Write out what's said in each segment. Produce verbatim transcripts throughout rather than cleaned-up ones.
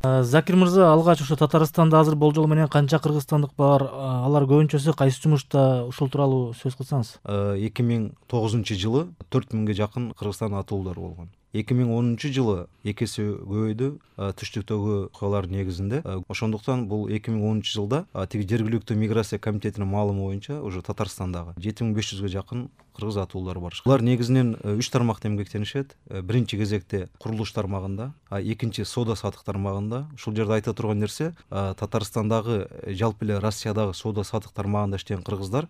Закир мырза, алгач ошо Татарстанда азыр болжол менен канча кыргызстандык бар? Алар көбүнчөсү кайсы жумушта? Ушул тууралуу сөз кылсаңыз. эки миң тогузунчу жылы төрт миңге жакын Кыргызстан атуулар болгон. эки миң онунчу жылы эки эсе көбөйдү түштүктөгү окуялардын негизинде. Ошондуктан бул эки миң онунчу жылда тиги жергиликтүү миграция комитетинин маалымы боюнча уже Татарстандагы жети миң беш жүзгө жакын кыргыз атуулар бар. Булар негизинен үч тармакта эмгектенишет. Биринчи кезекте курулуш тармагында, экинчи соода сатык тармагында. Ушул жерде айта турган нерсе, Татарстандагы жалпы эле Россиядагы соода сатык тармагында иштеген кыргыздар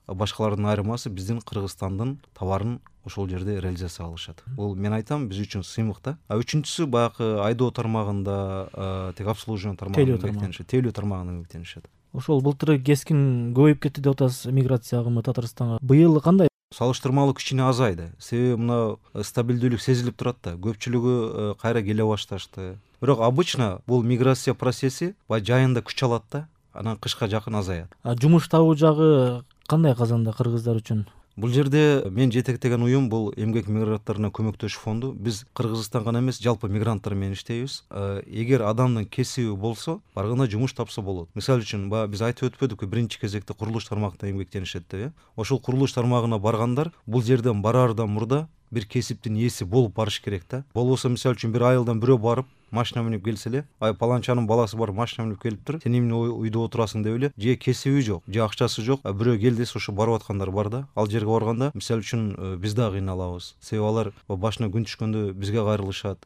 башкалардын айырмасы биздин Кыргызстандын товарын ошол жерде реализация кылышат. Бул мен айтам биз үчүн сыймык да. Үчүнчүсү баягы айдоо тармагында, тек обслуживание тармагында эмгектенишет, тейлөө тармагында эмгектенишет. Ошол былтыры кескин көбөйүп кетти деп атасыз миграция агымы Татарстанга. Быйыл кандай? Салыштырмалуу кичине азайды. Себеби мына стабилдүүлүк сезилип турат да. Көпчүлүгү кайра келе башташты. Бирок обычно бул миграция процесси баягы жайында күч алат да, анан кышка жакын азаят. Жумуш табуу жагы кандай Казанда кыргыздар үчүн? Бул жерде мен жетектеген уюм бул эмгек мигранттарына көмөктөшүү фонду. Биз Кыргызстан гана эмес, жалпы мигранттар менен иштейбиз. Эгер адамдын кесиби болсо, барганда жумуш тапса болот. Мисалы үчүн, баягы биз айтып өтпөдүкпү, биринчи кезекте курулуш тармагында эмгектенишет деп. Ошол курулуш тармагына баргандар бул жерден бараардан мурда бир кесиптин ээси болуп барыш керек да. Болбосо, мисалы үчүн, бир айылдан бирөө барып машина минип келсе эле, ай паланчанын баласы бар машина минип келиптир, сен эмне үйдө отурасың деп эле, же кесиби жок, же акчасы жок, бирөө кел десе ошо барып аткандар бар да. Ал жерге барганда, мисалы үчүн, биз да кыйналабыз. Себеби алар башына күн түшкөндө бизге кайрылышат,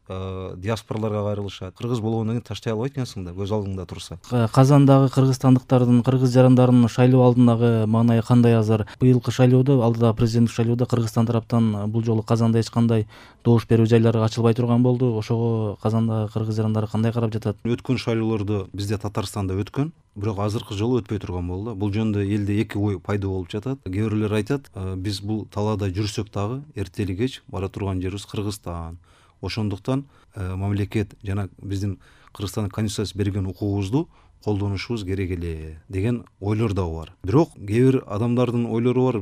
диаспораларга кайрылышат. Кыргыз болгондон кийин таштай албайт экенсиң да, көз алдыңда турса. Казандагы кыргызстандыктардын, кыргыз жарандарынын шайлоо алдындагы маанайы кандай азыр? Быйылкы шайлоодо, алдыда президенттик шайлоодо Кыргызстан тараптан бул жолу Казанда эч кандай добуш берүү жайлары ачылбай турган болду. Ошого Казанда кыргыз жарандары кандай карап жатат? Өткөн шайлоолордо бизде Татарстанда өткөн, бирок азыркы жолу өтпөй турган болду. Бул жөнүндө элде эки ой пайда болуп жатат. Кээ бирлер айтат, биз бул талаада жүрсөк дагы эртели кеч бара турган жерибиз Кыргызстан. Ошондуктан мамлекет жана биздин Кыргызстандын конституциясы берген укугубузду колдонушубуз керек эле деген ойлор дагы бар. Бирок кээ бир адамдардын ойлору бар,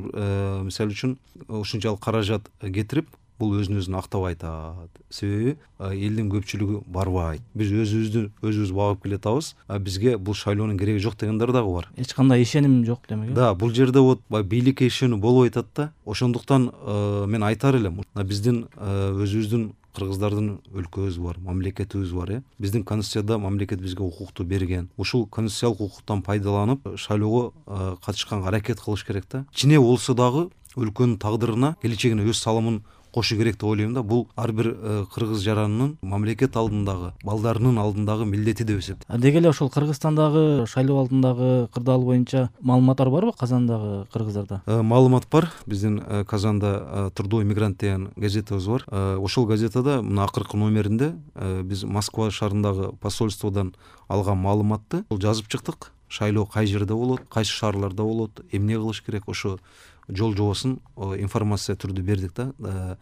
мисалы үчүн ушунчалык каражат кетирип, бул өзүн өзүн актап айтат. Себеби элдин көпчүлүгү барбайт. Биз өзүбүздү өзүбүз багып келатабыз, а бизге бул шайлоонун кереги жок дегендер дагы бар. Эч кандай ишеним жок демек. Да, бул жерде вот бийликке ишенүү болбой атат да. Ошондуктан мен айтар элем, биздин өзүбүздүн кыргыздардын өлкөбүз бар, мамлекетибиз бар, э. Биздин конституцияда мамлекет бизге укукту берген. Ушул конституциялык укуктан пайдаланып, шайлоого катышканга аракет кылыш керек да. Кичине болсо дагы өлкөнүн тагдырына, келечегине өз салымын кошу керек деп ойлойм да. Бул ар бир кыргыз жаранынын мамлекет алдындагы, балдарынын алдындагы милдети деп эсептейм. Деги эле ошол Кыргызстандагы шайлоо алдындагы кырдаал боюнча маалыматтар барбы Казандагы кыргыздарда? Маалымат бар. Биздин Казанда Трудовой мигрант деген газетабыз бар. Ошол газетада мына акыркы номеринде биз Москва шаарындагы посольстводон алган маалыматты жазып чыктык. Шайлоо кай жерде болот, кайсы шаарларда болот, эмне кылыш керек, ошо жол жобосун информация түрдө бердик да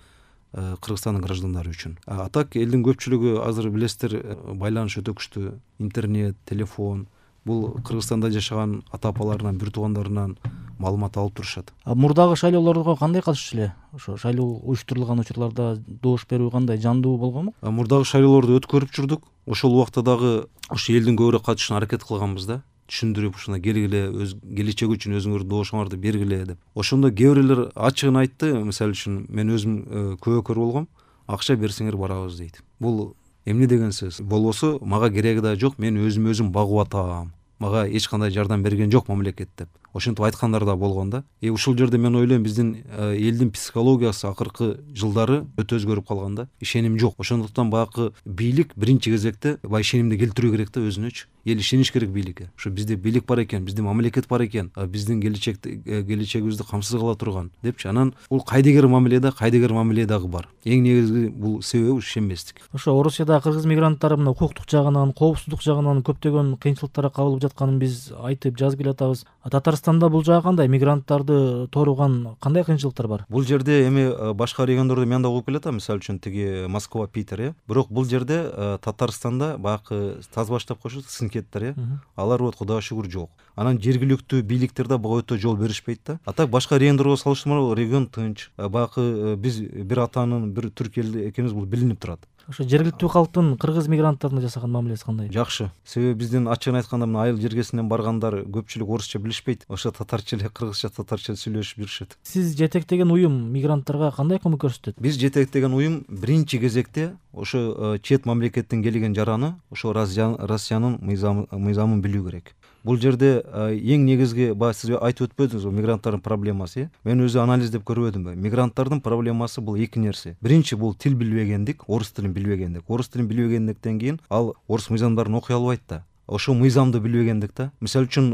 Кыргызстандын граждандары үчүн. А так элдин көпчүлүгү азыр билесиздер, байланыш өтө күчтүү, интернет, телефон. Бул Кыргызстанда жашаган ата апаларынан, бир туугандарынан маалымат алып турушат. Мурдагы шайлоолорго кандай катышчу эле? Ошо шайлоо уюштурулган учурларда добуш берүү кандай, жандуу болгонбу? Мурдагы шайлоолорду өткөрүп жүрдүк. Ошол убакта дагы ошо элдин көбүрөөк катышына аракет кылганбыз да. Түшүндүрүп, ушуна келгиле, өз келечеги үчүн өзүңөрдүн добушуңарды бергиле деп. Ошондо кээ бирлер ачыгын айтты. Мисалы үчүн, мен өзүм күбөкөр болгом, акча берсеңер барабыз дейт. Бул эмне деген сөз? Болбосо мага кереги да жок, мен өзүм өзүм багып атам. Мага эч кандай жардам берген жок мамлекет деп. Ошентип айткандар да болгон да. И ушул жерде мен ойлойм, биздин элдин психологиясы акыркы жылдары өтө өзгөрүп калган да. Ишеним жок. Ошондуктан баягы бийлик биринчи кезекте баягы ишенимди келтирүү керек да өзүнөчү. Эл ишениш керек бийликке. Ушу бизде бийлик бар экен, биздин мамлекет бар экен, биздин келечекти келечегибизди камсыз кыла турган депчи. Анан бул кайдыгер мамиле да, кайдыгер мамиле дагы бар. Эң негизги бул себеби ишенбестик. Ошо Орусияда кыргыз мигранттары мына укуктук жагынан, коопсуздук жагынан көптөгөн кыйынчылыктарга кабылып жатканын биз айтып жазып келатабыз. Татарстанда бул жагы кандай? Мигранттарды тооруган кандай кыйынчылыктар бар? Бул жерде эми башка региондордо мен да угуп келатам, мисалы үчүн тиги Москва, Питер, э. Бирок бул жерде Татарстанда баягы тазбаш деп коюшат, сынкеттер, э. Алар вот Кудайга шүгүр жок. Анан жергиликтүү бийликтерде буга өтө жол беришпейт да. А так башка региондорго салыштырмалуу регион тынч. Баягы биз бир атанын, бир түрк эл экенибиз бул билинип турат. ошо жергиликтүү калктын кыргыз мигранттарына жасаган мамилеси кандай? Жакшы, себеби биздин ачыгын айтканда мына айыл жергесинен баргандар көпчүлүк орусча билишпейт, ошо татарча эле кыргызча татарча сүйлөшүп жүрүшөт. Сиз жетектеген уюм мигранттарга кандай көмөк көрсөтөт? Биз жетектеген уюм биринчи кезекте ошо чет мамлекеттен келген жараны ошо Россиянын мыйзамын билүү керек. Бул жерде эң негизги баягы сиз айтып өтпөдүңүзбү, мигранттардын проблемасы. Мен өзү анализдеп көрбөдүмбү? Мигранттардын проблемасы бул эки нерсе. Биринчи бул тил билбегендик, орус тилин билбегендик. Орус тилин билбегендиктен кийин ал орус мыйзамдарын окуй албайт да. Ошол мыйзамды билбегендик да. Мисалы үчүн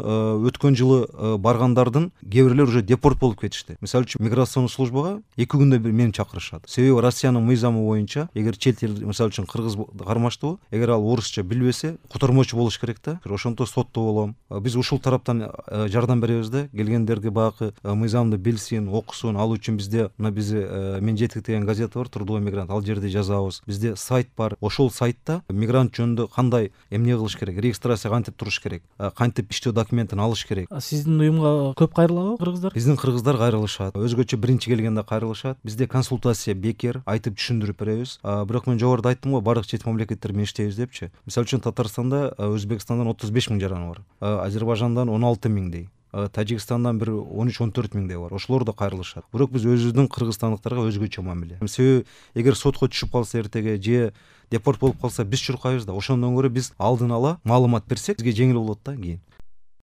өткөн жылы баргандардын кээ бирлер уже депорт болуп кетишти. Мисалы үчүн миграциялык службага эки күндө бир мени чакырышат. Себеби Россиянын мыйзамы боюнча, эгер чет эл, мисалы үчүн кыргыз кармаштуу, эгер ал орусча билбесе, котормочу болуш керек да. Ошонто сотто болом. Биз ушул тараптан жардам беребиз да. Келгендерге багы мыйзамды билсин, окусун. Ал үчүн бизде мына биз мен жетектеген газета бар, Трудовой мигрант. Ал жерде жазабыз. Бизде сайт бар. Ошол сайтта мигрант жөнүндө кандай эмне кылыш керек, регистрация кантип туруш керек, кантип иштөө документин алыш керек. Сиздин уюмга көп кайрылабы кыргыздар? Биздин кыргыздар кайрылышат. Өзгөчө биринчи келгенде кайрылышат. Бизде консультация бекер, айтып түшүндүрүп беребиз. Бирок мен жогоруда айттым го, бардык чет мамлекеттер менен иштейбиз депчи. Мисалы үчүн Татарстанда, Өзбекстандан отуз беш миң жараны бар. Азербайжандан он алты миңдей. Тажикстандан бир он үч он төрт миңдей бар. Ошолор да кайрылышат. Бирок биз өзүбүздүн кыргызстандыктарга өзгөчө мамиле. Себеби эгер сотко түшүп калса эртеге же депорт болуп калса биз чуркайбыз да. Ошондон көрө биз алдын ала маалымат берсек, бизге жеңил болот да кийин.